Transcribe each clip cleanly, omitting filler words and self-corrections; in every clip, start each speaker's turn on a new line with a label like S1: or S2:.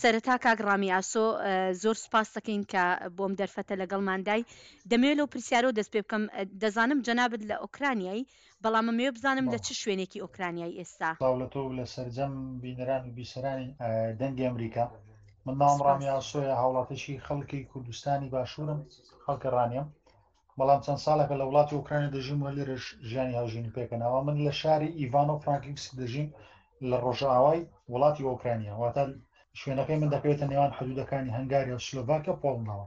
S1: سەرەتا کاک ڕامی ئاسۆ زۆر سوپاست دەکەین کە بۆم دەرفەتە لەگەڵماندای. دەمەوێت لەو پرسیارەوە دەست پێ بکەم، دەزانم جەنابت لە ئۆکرانیای، بەڵام ئەمەوێ بزانم لە چ شوێنێکی ئۆکرانیای ئێستا؟
S2: سڵاو لە تۆ و لە سەرجەم بینەران و بیسەرانی دەنگی ئەمریکا. من ناوم ڕامی ئاسۆیە، هاوڵاتیی خەڵکی کوردستانی باشوورم، خەڵکی ڕانیەم. بەڵام چەند ساڵێکە لە وڵاتی ئۆکرانیا دەژیم و لێرەش ژیانی هاوژینی پێکەنەوە من لە شاری ئیڤانۆ فرانکیڤسک دەژیم لە ڕۆژئاوای وڵاتی ئۆکرانیا واتە شوێنەکەی من دەکەوێتە نێوان حدودەکانی هەنگاریا و سلۆڤاکیا و پۆڵنداوە.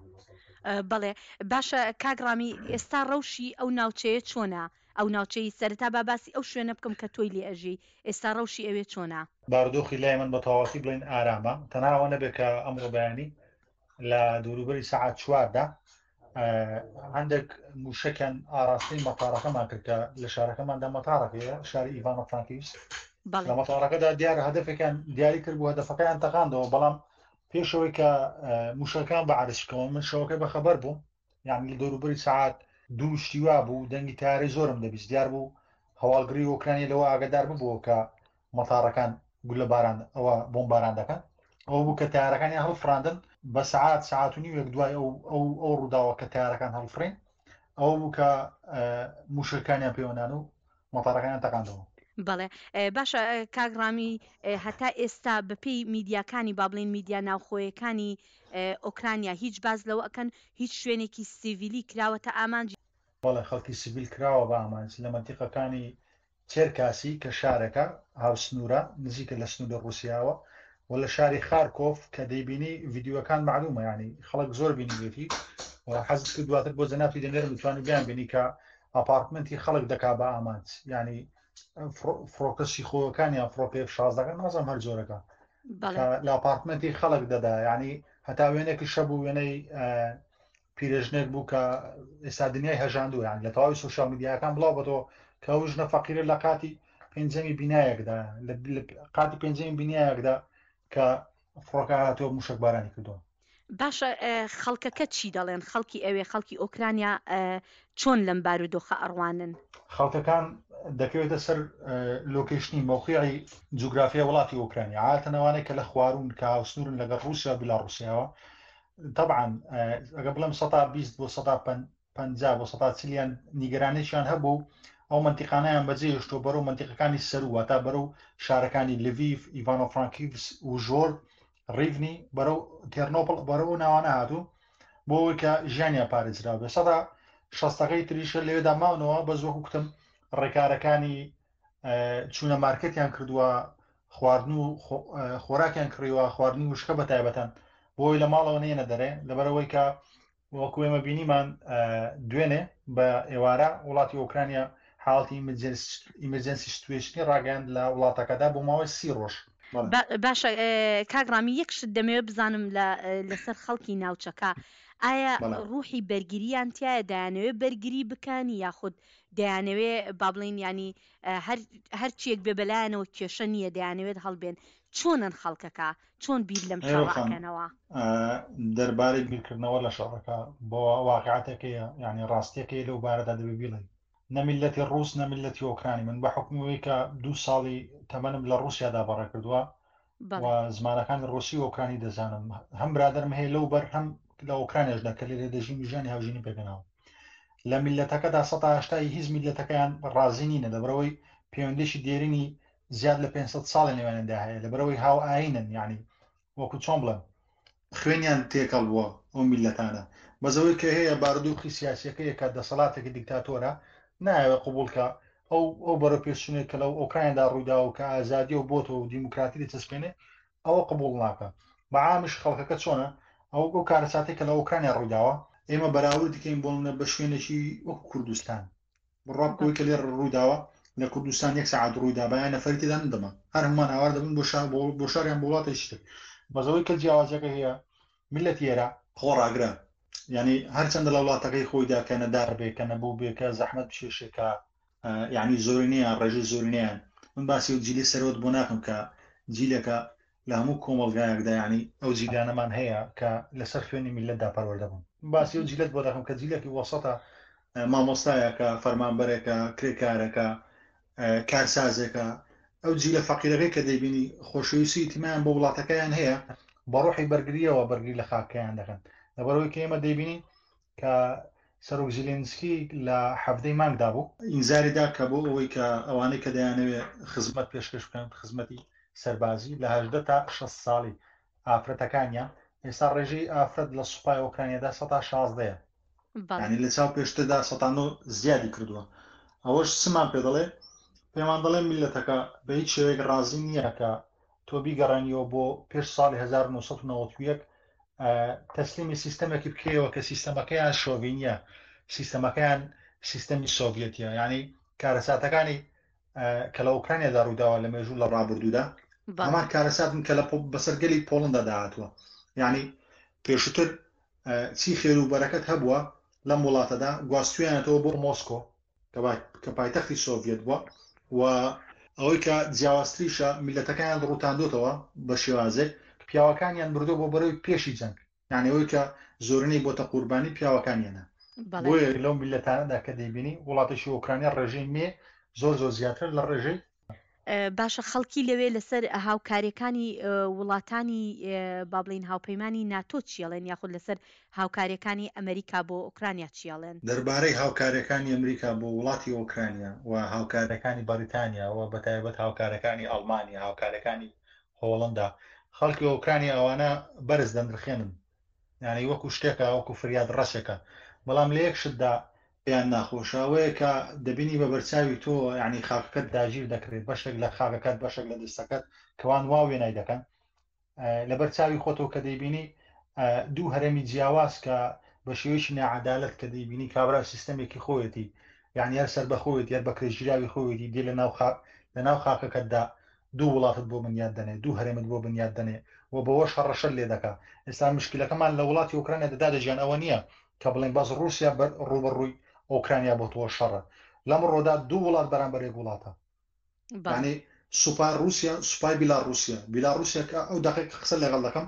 S1: بەڵێ باشە کاک ڕامی ئێستا ڕەوشی ئەو ناوچەیە چۆنە؟ ئەو ناوچەی سەرەتا با باسی ئەو شوێنە بکەم کە تۆی لێ ئەژی ئێستا ڕەوشی ئەوێ چۆنە؟
S2: بارودۆخی لای من بە تەواوەتی بڵێین ئارامە تەنها ئەوە نەبێت کە ئەمڕۆ بەیانی لە دووروبەری سەعات چواردا هەندێک موشەکیان ئاراستەی مەتارەکەمان کرد کە لە شارەکەماندا مەتارەکەیە شاری ئیڤانۆ فرانکیڤسک لە مەتارەکەدا دیارە هەدفێکیان دیاری کرد بوو هەدفەکەیان تەقاندەوە بەڵام پێشەوەی کە موشەکان بە عرزکەوە من شەوەکە بەخەبەر بووم یعنی لە دەوروبەری سەعات دوو شتی وا بوو دەنگی تارەی زۆرم دەبیست دیار بوو هەواڵگری ئۆکرانی لەوە ئاگادار ببووە کە مەتاڕەکان گولە باران ئەوە بۆمباران دەکەن ئەوە بوو کە تارەکانیان هەڵفراندن بە سەعات سەعات و نیوێک دوای ئەو ئەو ئەو ڕووداوە کە تارەکان هەڵفرین ئەوە بوو کە موشەکانیان پێوەنان و مەتارەکانیان تەقاندەوە.
S1: بەڵێ باشە کاک ڕامی هەتا ئێستا بەپێی میدیاکانی با بڵێین میدیا ناوخۆیەکانی ئۆکرانیا هیچ باس لەوە ئەکەن هیچ شوێنێکی سیڤیلی کراوەتە ئامانج؟
S2: بەڵێ خەڵکی سیڤیل کراوە بە ئامانج لە مەنتیقەکانی چێرکاسی کە شارێکە هاوسنوورە نزیکە لە سنووری ڕووسیاوە و لە شاری خارکۆف کە دەیبینی ڤیدیۆکان مەعلومە یانی خەڵک زۆر بینیوێتی و حەزت کرد دواتر بۆ جەنابتی دەنێرم بتوانی بیان بینی کە ئاپارتمنتی خەڵک دەکا بە ئامانج یانی فڕۆکە سیخۆەکان یان فڕۆکە ئێف شازدەکان نازانم هەر جۆرەکە لە ئاپارتمنتی خەڵک دەدا یانی هەتا وێنێکی شەبوو وێنەی پیرێژنێک بوو کە ئێستا دنیای هەژاندووە یان لە تەواوی سوسیال میدیاکان بڵاو بەتەوە کە ئەو ژنە فەقیرە لە قاتی پێنجەمی بینایەکدا لە قاتی پێنجەمی بینایەکدا کە فڕۆکە هاتووە موشک بارانی کردووە.
S1: باشە خەڵکەکە چی دەڵێن خەڵکی ئەوێ خەڵکی ئۆکرانیا چۆن لەم بارودۆخە ئەڕوانن؟
S2: خەڵکەکان دەکەوێتە سەر لۆکەیشنی مەوقیعی جوگرافیای وڵاتی ئۆکرانیا عادەتەن ئەوانەی کە لە خواروون کە هاوسنوورن لەگەڵ ڕووسیا و بیلاڕووسیاوە تەبعەن ئەگە بڵێم سەتا 20 بۆ سەتا 50 بۆ سەتا چلیان نیگەرانێکیان هەبوو ئەو منتیقانیان بەجێ هێشتووە بەرەو منتیقەکانی سەروو واتا بەرەو شارەکانی لڤیڤ ئیڤانۆ فرانکیڤسک و ژۆر ڕیڤنی بەرەو تێرنۆپڵ بەرەو ئەو ناوانە هاتوو بۆ ئەوەی کە ژیانیان پارێزراو بێ سەدا شەستەکەی تریشە لەوێدا ماونەوە بەس وەکو کوتم ڕێکارەکانی چوونە مارکێتیان کردووە خواردن و خۆراکیان کڕیوە خواردنی وشکە بە تایبەتەن بۆی لە ماڵەوە نێنە دەرێ لەبەرەوەی کە وەکو ئێمە بینیمان دوێنێ بە ئێوارە وڵاتی ئۆکرانیا حاڵەتی emergency situation ی ڕاگەیاند لە وڵاتەکەدا بۆ ماوەی سی ڕۆژ.
S1: باشە کاک ڕامی یەک شت دەمەوێت بزانم لەسەر خەڵکی ناوچەکە ئایا ڕوحی بەرگریان تایە دەیانەوێت بەرگری بکەن یاخود دەیانەوێ با بڵێین یانی هەر هەرچیەک بێ بەلایانەوە کێشە نییە دەیانەوێت هەڵبێن چۆنن خەڵکەکە چۆن بیر لەم
S2: هێرۆ
S1: شەڕە
S2: خان
S1: ئەکەنەوە؟
S2: دەربارەی بیرکردنەوە لە شەڕەکە بۆ واقیعەتەکەیە یانی ڕاستیەکەی لەو بارەدا دەبێ بیڵێین نە میللەتی ڕووس نە میللەتی ئۆکرانی من بە حوکمی ئەوەی کە دوو ساڵی تەمەنم لە ڕووسیادا بەڕێ کردووە و
S1: بەڵێ.
S2: زمانەکانی ڕووسی و ئۆکرانی دەزانم هەم برادەرم هەیە لەو بەر هەم لە ئۆکرانیاشدا کە لێرە دەژیم و ژیانی هاوژینی پێکهێناوە لە میللەتەکەدا سەتا هەشتای هیچ میللەتەکەیان ڕازی نینە لەبەرئەوەی پەیوەندیی دێرینی زیاد لە 500 ساڵی نێوانیاندا هەیە لەبەرئەوەی هاو ئاینن یعنی وەکو چۆن بڵێم خوێنیان تێکەڵ بووە ئەو میللەتانە بەس ئەوەی کە هەیە بارودۆخی سیاسیەکەیە کە دەسەڵاتێکی دیکتاتۆرە نایەوێ قبوڵ کە ئەو ئەو بەرەو پێشچونێک کە لەو ئۆکرانیادا ڕوویداوە و کە ئازادیە و بۆتەوە و دیموکراتی دەچەسپێنێ ئەوە قبوڵ ناکا بە عامیش خەڵکەکە چۆنە ئەو ئەو کارەساتەی کە لە ئۆکرانیا ڕوویداوە ئێمە بەراوردی کەین بۆ نمونە بە شوێنێکی وەکو کوردستان بڕوا بکە ئەوەی کە لێرە ڕوویداوە لە کوردستان یەک سەعات ڕوویدابایە نەفەری تێدا نەدەما هەر هەموومان ئاوار دەبووین بۆ شار بۆ شار یان بۆ وڵاتێکی تر بەس ئەوەی کە جیاوازیەکە هەیە میللەتی ئێرە خۆڕاگرە یعنی هەرچەندە لە وڵاتەکەی خۆیدا کە نەدار بێ کە نەبوو بێ کە زەحمەت بکێشێ کە یعنی زۆرینەیان ڕێژەی زۆرینەیان من باسی و جیلی سەرەوەت بۆ ناکەم کە جیلەکە لە هەموو کۆمەڵگایەکدا یانی ئەو جیلانەمان هەیە کە لەسەر خوێنی میللەتدا پەروەردە بوون. باسی ئەو جیلەت بۆ دەکەم کە جیلێکی وەسەتە، مامۆستایەکە، فەرمانبەرێکە، کرێکارەکە، کارسازێکە، ئەو جیلە فەقیرەکەی کە دەیبینی خۆشەویستی ئیتیمایان بۆ وڵاتەکەیان هەیە. بە ڕۆحی بەرگرییەوە بەرگری لە خاکەکەیان دەکەن. لەبەرئەوەی کە ئێمە دەیبینین کە سەرۆک زیلێنسکی لە حەڤدەی مانگدا بوو، ئینزاری دا کە بۆ ئەوەی کە ئەوانەی کە دەیانەوێ خزمەت پێشکەش بکەن، خزمەتی سەربازی لە 18 تا 60 ساڵی ئافرەتەکانیان، ئێستا ڕێژەی ئافرەت لە سوپای ئۆکرانیادا سەتا شازدەیە، یانی لە چاو پێشتردا سەتا نۆ زیادی کردووە. ئەوەش چمان پێ دەڵێ؟ پێمان دەڵێ میللەتەکە بە هیچ شێوەیەک ڕازی نییە کە تۆ بیگەڕێنیەوە بۆ پێش ساڵی 1991 تەسلیمی سیستەمێکی بکەیەوە کە سیستەمەکەیان شۆڤینیە، سیستەمەکەیان سیستەمی سۆڤەتیە، یعنی کارەساتەکانی کە لە ئۆکرانیادا ڕووداوە لە مێژوو لە ڕابردوودا هەمان کارەساتن کە لە بەسەر گەلی پۆڵندا داهاتووە. یعنی پێشووتر چی خێر و بەرەکەت هەبووە لەم وڵاتەدا گواستویانەتەوە بۆ مۆسکۆ کە پایتەختی سۆڤیەت بووە و ئەوەی کە جیاوازتریشە میللەتەکەیان ڕووتاندۆتەوە بە شێوازێک پیاوەکانیان بردووە بۆ بەرەوەی پێشی جەنگ، یانی ئەوەی کە زۆرینەی بۆتە قوربانی پیاوەکانیانە. بۆیە لەو میللەتانەدا کە دەیبینی وڵاتێکی ئۆکرانیا ڕێژەی مێ زۆر زۆر زیاترە لە ڕێژەی.
S1: باشە خەڵکی لەوێ لەسەر هاوکاریەکانی وڵاتانی با بڵێین هاوپەیمانی ناتۆ چیەڵێن یاخود لەسەر هاوکاریەکانی ئەمریکا بۆ ئۆکرانیا چیەڵێن؟
S2: دەربارەی هاوکاریەکانی ئەمریکا بۆ وڵاتی ئۆکرانیا و هاوکاریەکانی بەڕیتانیا و بەتایبەت هاوکارەکانی ئەڵمانیا هاوکارەکانی هۆڵندا خەڵکی ئۆکرانیا ئەوانە بەرز دەنرخێنن یانی وەکو شتێکە وەکو فریاد ڕەسێکە بەڵام لە یەک شتدا پێیان ناخۆشە ئەوەیە کە دەبینی بە بەرچاوی تۆ یعنی خاکەکەت داگیر دەکرێت بەشێک لە خاکەکەت بەشێک لە دەستەکەت کەوان وا وێنای دەکەن لەبەر چاوی خۆتەوە کە دەیبینی دوو هەرێمی جیاواز کە بە شێوەیەکی ناعەدالەت کە دەیبینی کابرا سیستەمێکی خۆیەتی یعنی هەر سەر بەخۆیەتی هەر بەکرێگیراوی خۆیەتی دێ لە ناو خاک لە ناو خاکەکەتدا دوو وڵاتت بۆ بنیات دەنێ دوو هەرێمت بۆ بنیات دەنێ و بەوەش هەڕەشەت لێ دەکا ئێستا مشکلەکەمان لە وڵاتی ئۆکرانیا دەدا دەژیان ئەوە نییە کە بڵێن بەس ڕووسیا بەر ڕووبەڕووی ئۆکرانیا بۆتەوە شەڕە لەم ڕۆدا دوو وڵات بەرامبەر یەک وڵاتە یعنی سوپای رووسیا سوپای بیلاڕوسیا بیلاڕوسیا کە ئەو دقیق قسە لەگەڵ دەکەم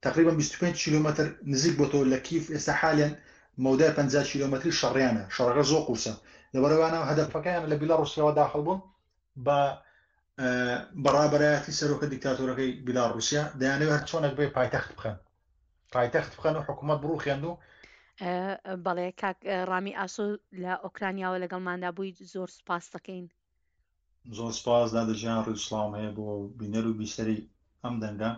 S2: تقریبا 25 کیلومتر نزیک بۆتەوە لە کیف ئێستا حالیان مەودای 50 کیلومتری شەڕیانە شەڕەکە زۆر قورسە لەبەرەوانە هەدەفەکەیان لە بیلاڕوسیاوە داخل بوون بە بەڕابەرایەتی سەرۆکە دیکتاتۆرەکەی بیلاڕوسیا دەیانەوێت هەر چۆنێک بێ پایتەخت بخەن پایتەخت بخەن و حکوومەت بڕوخێن و
S1: بەڵێ کاک ڕامی ئاسۆ لە ئۆکرانیاوە لەگەڵماندا بووی زۆر سوپاس دەکەین.
S2: زۆر سپاس دادە گیان ڕێز و سڵاوم هەیە بۆ بینەر و بیسەری ئەم دەنگە.